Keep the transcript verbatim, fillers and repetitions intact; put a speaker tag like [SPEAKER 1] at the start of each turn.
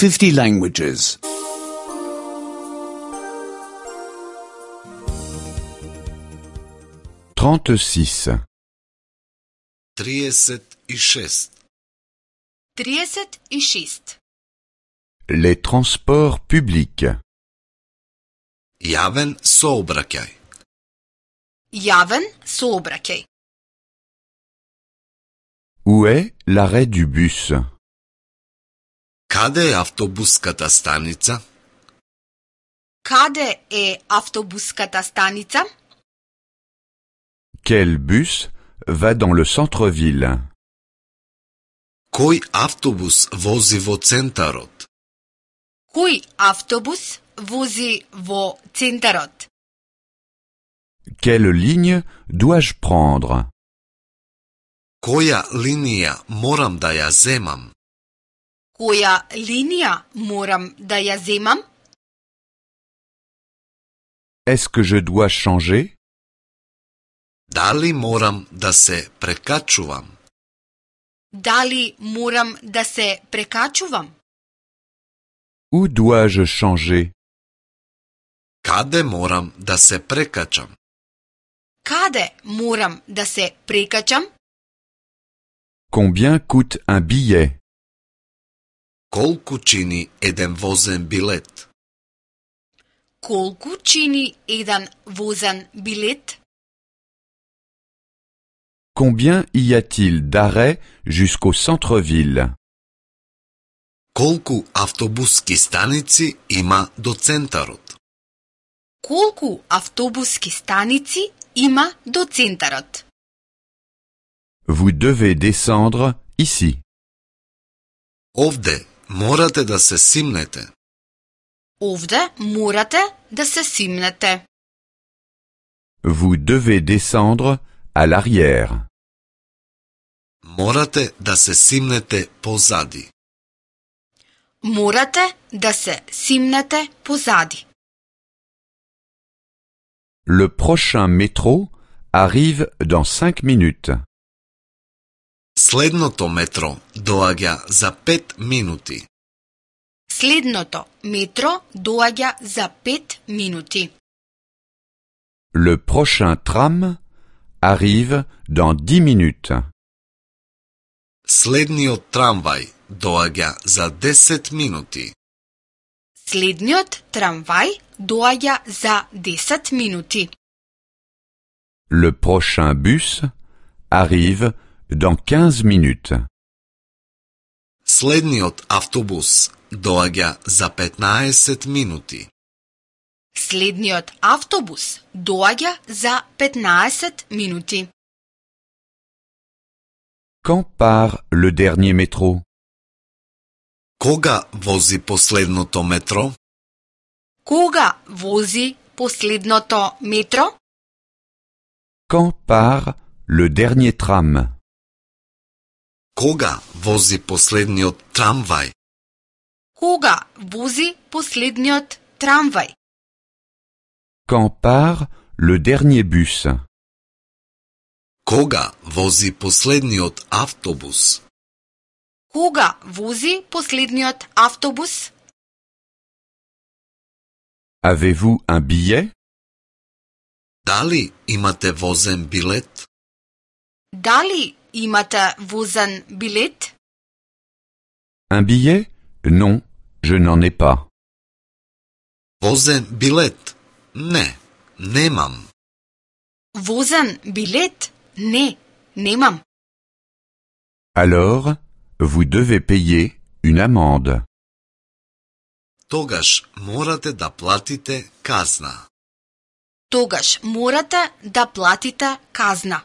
[SPEAKER 1] fifty languages.
[SPEAKER 2] trente-six.
[SPEAKER 3] trideset i šest.
[SPEAKER 4] trideset i šest.
[SPEAKER 2] Les transports publics.
[SPEAKER 3] Javen saobraćaj.
[SPEAKER 4] Javen saobraćaj.
[SPEAKER 2] Où est l'arrêt du bus?
[SPEAKER 3] Kada je avtobuskata stanica?
[SPEAKER 4] Kade je avtobuskata stanica?
[SPEAKER 2] Quel bus va dans le centre-ville?
[SPEAKER 3] Koji avtobus vozi vo centarot?
[SPEAKER 4] Koji avtobus vozi vo centarot?
[SPEAKER 2] Quelle ligne dois-je prendre?
[SPEAKER 3] Koja linija moram da ja zemam?
[SPEAKER 4] Koja linija moram da ja zemam?
[SPEAKER 2] Est-ce que je dois changer?
[SPEAKER 3] Da li moram da se prekačuvam?
[SPEAKER 4] Da li moram da se prekačuvam?
[SPEAKER 2] Où dois-je changer?
[SPEAKER 3] Kade moram da se prekačam?
[SPEAKER 4] Kade moram da se prekačam?
[SPEAKER 2] Combien coûte un billet?
[SPEAKER 3] Kolku čini jedan vozen bilet?
[SPEAKER 4] Kolku čini jedan vozan bilet?
[SPEAKER 2] Combien y a-t-il d'arrêts jusqu'au centre-ville?
[SPEAKER 3] Kolku avtobuski stanici ima do centarot?
[SPEAKER 4] Kolku avtobuski stanici ima do centarot?
[SPEAKER 2] Vous devez descendre ici.
[SPEAKER 3] Ovde morate da se simnete.
[SPEAKER 4] Ovde morate da se simnete.
[SPEAKER 2] Vous devez descendre à l'arrière.
[SPEAKER 3] Morate da se simnete pozadi.
[SPEAKER 4] Morate da se simnete pozadi.
[SPEAKER 2] Le prochain métro arrive dans cinq minutes.
[SPEAKER 3] Slednoto metro doaѓа za pet minuti.
[SPEAKER 4] Slednoto metro doaѓа za pet minuti.
[SPEAKER 2] Le prochain tram arrive dans dix minutes.
[SPEAKER 3] Следниот трамвај доаѓа за десет минути.
[SPEAKER 4] Следниот трамвај доаѓа за десет минути.
[SPEAKER 2] Le prochain bus arrive dans quinze minutes.
[SPEAKER 3] Следниот автобус доаѓа за петнаесет минути.
[SPEAKER 4] Следниот автобус доаѓа за петнаесет минути.
[SPEAKER 2] Quand part le dernier métro?
[SPEAKER 3] Кога вози последното метро?
[SPEAKER 4] Кога вози последното метро?
[SPEAKER 2] Quand part le dernier tram?
[SPEAKER 3] Кога вози последниот трамвај?
[SPEAKER 4] Кога вози последниот трамвај?
[SPEAKER 2] Quand part le dernier bus?
[SPEAKER 3] Кога вози последниот автобус?
[SPEAKER 4] Кога вози последниот автобус?
[SPEAKER 2] Avez-vous un billet?
[SPEAKER 3] Дали имате возен билет?
[SPEAKER 4] Дали имате возен билет?
[SPEAKER 2] Un billet? Non, je n'en ai pas.
[SPEAKER 3] Возен билет? Не, немам.
[SPEAKER 4] Возен билет? Не, немам.
[SPEAKER 2] Alors, vous devez payer une amende.
[SPEAKER 3] Тогаш морате да платите казна.
[SPEAKER 4] Тогаш морате да платите казна.